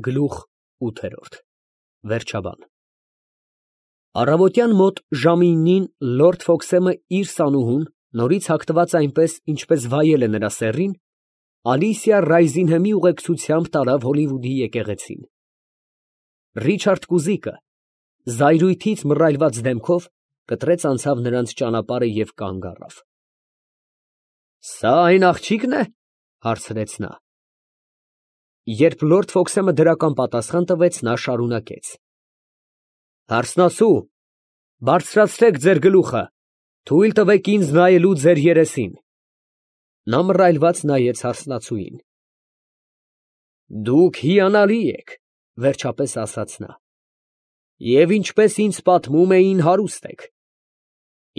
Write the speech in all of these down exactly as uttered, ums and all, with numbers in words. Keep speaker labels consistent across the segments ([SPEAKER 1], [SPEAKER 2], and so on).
[SPEAKER 1] Գլուխ ութ Վերջաբան Առավոտյան մոտ ժամինին լորդ Ֆոքսեմը իր սանուհուն, նորից հագնված այնպես, ինչպես վայել է նրա սեռին, Ալիսիա Ռայզինհեմի ուղեկցությամբ տարավ Հոլիվուդի եկեղեցին։ Ռիչարդ կուզիկը զայրույթից մռայլված դեմքով կտրեց անցավ նրանց ճանապարհը և կանգ առավ։ ֊ Սա այն աղջի՞կն է, ֊ հարցրեց նա։ Երբ լորդ Ֆոքսեմը դրական պատասխան տվեց, նա շարունակեց. ֊ Հարսնացու, բարձրացրեք ձեր գլուխը, թույլ տվեք ինձ նայելու ձեր երեսին։ Նա մռայլված նայեց հարսնացուին։ ֊ Դուք հիանալի եք, ֊ վերջապես ասաց նա, ֊ և ինչպես ինձ պատմում էին, հարուստ եք։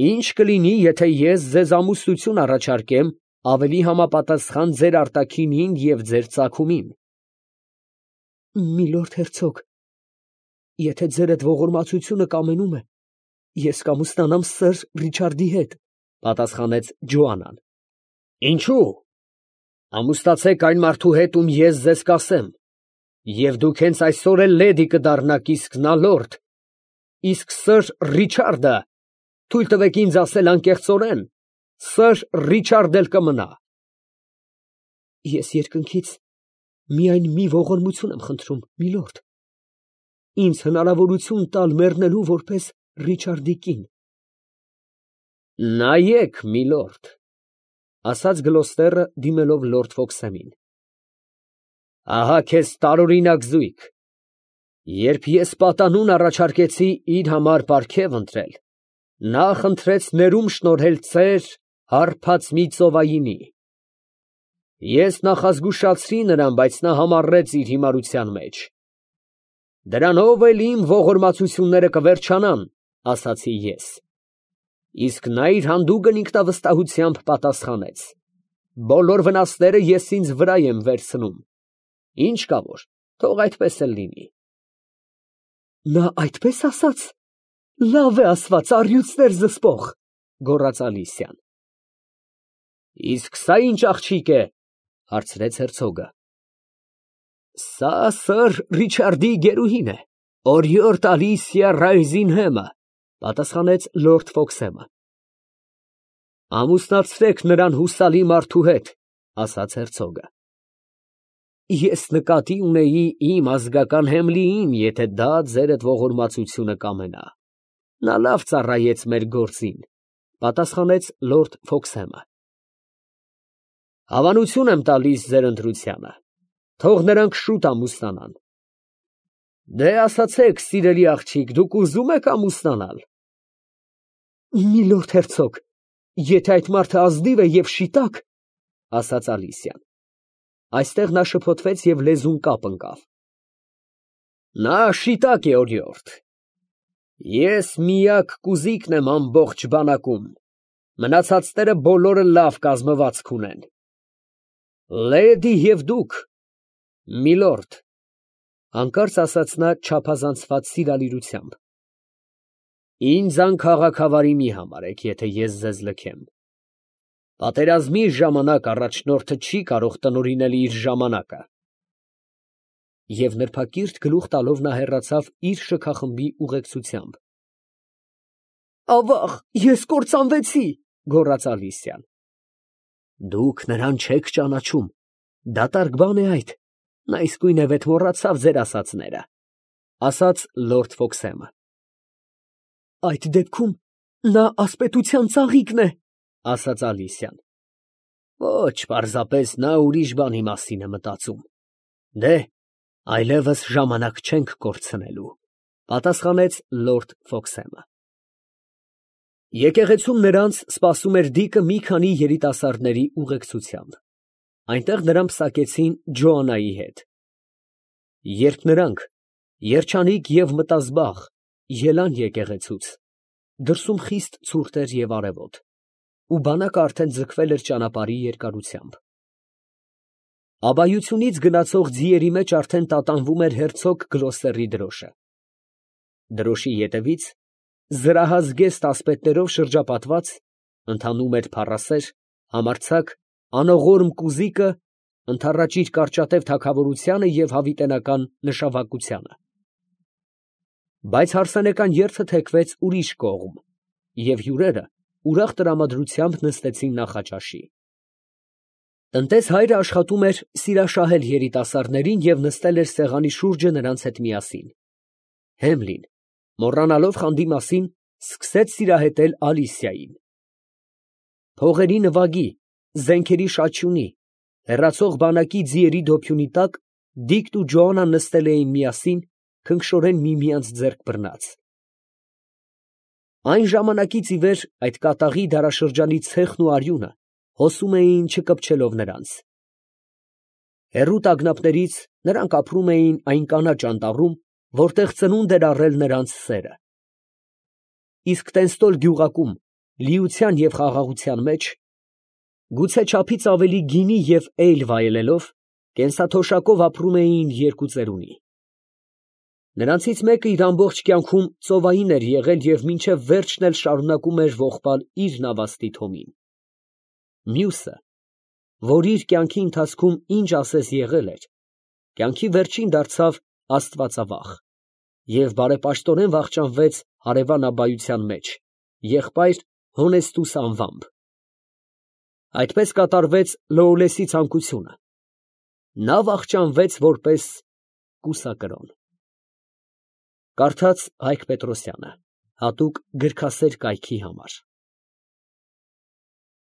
[SPEAKER 1] Ի՞նչ կլինի, եթե ես ձեզ ամուսնություն առաջարկեմ ավելի համապատասխան ձեր արտաքինին և ձեր ծագումին։ ֊ Միլորդ հերցոգ, եթե ձերդ ողորմածությունը կամենում է, ես կամուսնանամ սըր Ռիչարդի հետ, ֊ պատասխանեց Ջոանան։ ֊ Ինչո՞ւ։ Ամուսնացեք այն մարդու հետ, ում ես ձեզ կասեմ, և դուք հենց այսօր էլ լեդի կդառնաք, իսկ նա լորդ, իսկ սըր Ռիչարդը, թույլ տվեք ինձ ասել անկեղծորեն, սըր Ռիչարդն էլ կմնա։ Ես երկնքից միայն մի ողորմություն եմ խնդրում, միլորդ, ինձ հնարավորություն տալ մեռնելու որպես Ռիչարդի կին։ ֊ Նայեք, միլորդ, ֊ ասաց Գլոստերը, դիմելով լորդ Ֆոքսեմին, ֊ ահա քեզ տարօրինակ զույգ. երբ ես պատանուն առաջարկեցի իր համար պարգև ընտրել, նա խնդրեց ներում շնորհել ծեր հարբած մի ծովայինի։ Ես նախազգուշացրի նրան, բայց նա համառեց իր հիմարության մեջ։ Դրանով էլ իմ ողորմածությունները կվերջանան, ասացի ես, իսկ նա իր հանդուգն ինքնավստահությամբ պատասխանեց. բոլոր վնասները ես ինձ վրա եմ վերցնում, ինչ կա որ, թող այդպես էլ լինի։ Նա այդպես ասաց, լավ է ասված, առյուծներ զսպող, ֊ գոռաց Ալիսիան։ ֊ Իսկ սա ի՞նչ աղջիկ է, ֊ հարցրեց հերցոգը։ ֊ Սա սըր Ռիչարդի գերուհին է, օրիորդ Ալիսիա Ռայզինհեմը, ֊ պատասխանեց լորդ Ֆոքսեմը։ ֊ Ամուսնացրեք նրան հուսալի մարդու հետ, ֊ ասաց հերցոգը։ ֊ Ես նկատի ունեի իմ ազգական Հեմլիին, եթե դա ձերդ ողորմածությունը կամենա, նա լավ ծառայեց մեր գործին, ֊ պատասխանեց լորդ Ֆոքսեմը։ Հավանություն եմ տալիս ձեր ընտրությանը, թող նրանք շուտ ամուսնանան։ Դե ասացեք, սիրելի աղջիկ, դուք ուզո՞ւմ եք ամուսնանալ։ Միլորդ հերցոգ, եթե այդ մարդը ազնիվ է և շիտակ, ֊ ասաց Ալիսիան։ Այստեղ նա շփոթվեց և լեզուն կապ ընկավ։ Նա շիտակ է, օրիորդ, ես միակ կուզիկն եմ ամբողջ բանակում, մնացածները բոլորը լավ կազմվածք ունեն։ Լեդի և դուք, միլորդ, ֊ հանկարծ ասաց նա չափազանցված սիրալիրությամբ, ինձ անքաղաքավարի մի համարեք, եթե ես ձեզ լքեմ։ Պատերազմի ժամանակ առաջնորդը չի կարող տնօրինել իր ժամանակը։ Եվ նրբակիրթ գլուխ տալով նա հեռացավ իր շքախմբի ուղեկցությամբ։ Ավաղ, ես կործանվեցի, ֊ գոռաց Ալիսիան։ Դուք նրան չեք ճանաչում, դատարկ բան է այդ, նա իսկույն է վեթ մոռացավ ձեր ասածները, ֊ ասաց լորդ Ֆոքսեմը։ Այդ դեպքում նա ասպետության ծաղիկն է, ֊ ասաց Ալիսիան։ Ոչ, պարզապես նա ուրիշ բանի մասին է մտածում։ Դե, այլևս ժամանակ չենք կորցնելու, ֊ պատասխանեց լորդ Ֆոքսեմը։ Եկեղեցում նրանց սպասում էր դիկը մի քանի երիտասարդների ուղեկցությամբ։ Այնտեղ նրան պսակեցին Ջոանայի հետ։ Երբ նրանք, երջանիկ և մտազբաղ, ելան եկեղեցուց, դրսում խիստ ցուրտ էր և արևոտ, ու բանակը արդեն ձգվել էր ճանապարհի երկարությամբ։ Աբայությունից գնացող ձիերի մեջ արդեն տատանվում էր հերցոգ Գլոստերի դրոշը։ Դրոշի ետևից, զրահազգեստ ասպետներով շրջապատված, ընթանում էր փառասեր, համարձակ, անողորմ կուզիկը, ընդառաջիր կարճատև թագավորությանը և հավիտենական նշավակությանը։ Բայց հարսանեկան երթը թեքվեց ուրիշ կողմ, և հյուրերը ուրախ տրամադրությամբ նստեցին նախաճաշի։ Տնտես հայրը աշխատում էր սիրաշահել երիտասարդներին և նստել էր սեղանի շուրջը նրանց հետ միասին։ Հեմլին, մոռանալով խանդի մասին, սկսեց սիրահետել Ալիսիային։ Փողերի նվագի, զենքերի շաչյունի, հեռացող բանակի ձիերի դոփյունի տակ Դիկն ու Ջոանան նստել էին միասին, քնքշորեն միմյանց ձեռք բռնած։ Այն ժամանակից ի վեր այդ կատաղի դարաշրջանի ցեխն ու արյունը հոսում էին չկպչելով նրանց։ Հեռու տագնապներից նրանք ապրում էին այն կանաչ անտառում, որտեղ ծնունդ էր առել նրանց սերը։ Իսկ Տենստոլ գյուղակում, լիության և խաղաղության մեջ, գուցե չափից ավելի գինի և էյլ վայելելով, կենսաթոշակով ապրում էին երկու ծերունի։ Նրանցից մեկը իր ամբողջ կյանքում ծովային էր եղել և մինչև վերջն էլ շարունակում էր ողբալ իր նավաստի թոմին։ Մյուսը, որ իր կյանքի ընթացքում ինչ ասես եղել էր, կյանքի վերջին դարձավ աստվածավախ և բարեպաշտորեն վախճանվեց հարևան աբայության մեջ, եղբայր Հոնեստուս անվամբ։ Այդպես կատարվեց Լոուլեսի ցանկությունը. նա վախճանվեց որպես կուսակրոն։ Կարդաց Հայկ Պետրոսյանը, հատուկ գրքասեր կայքի համար։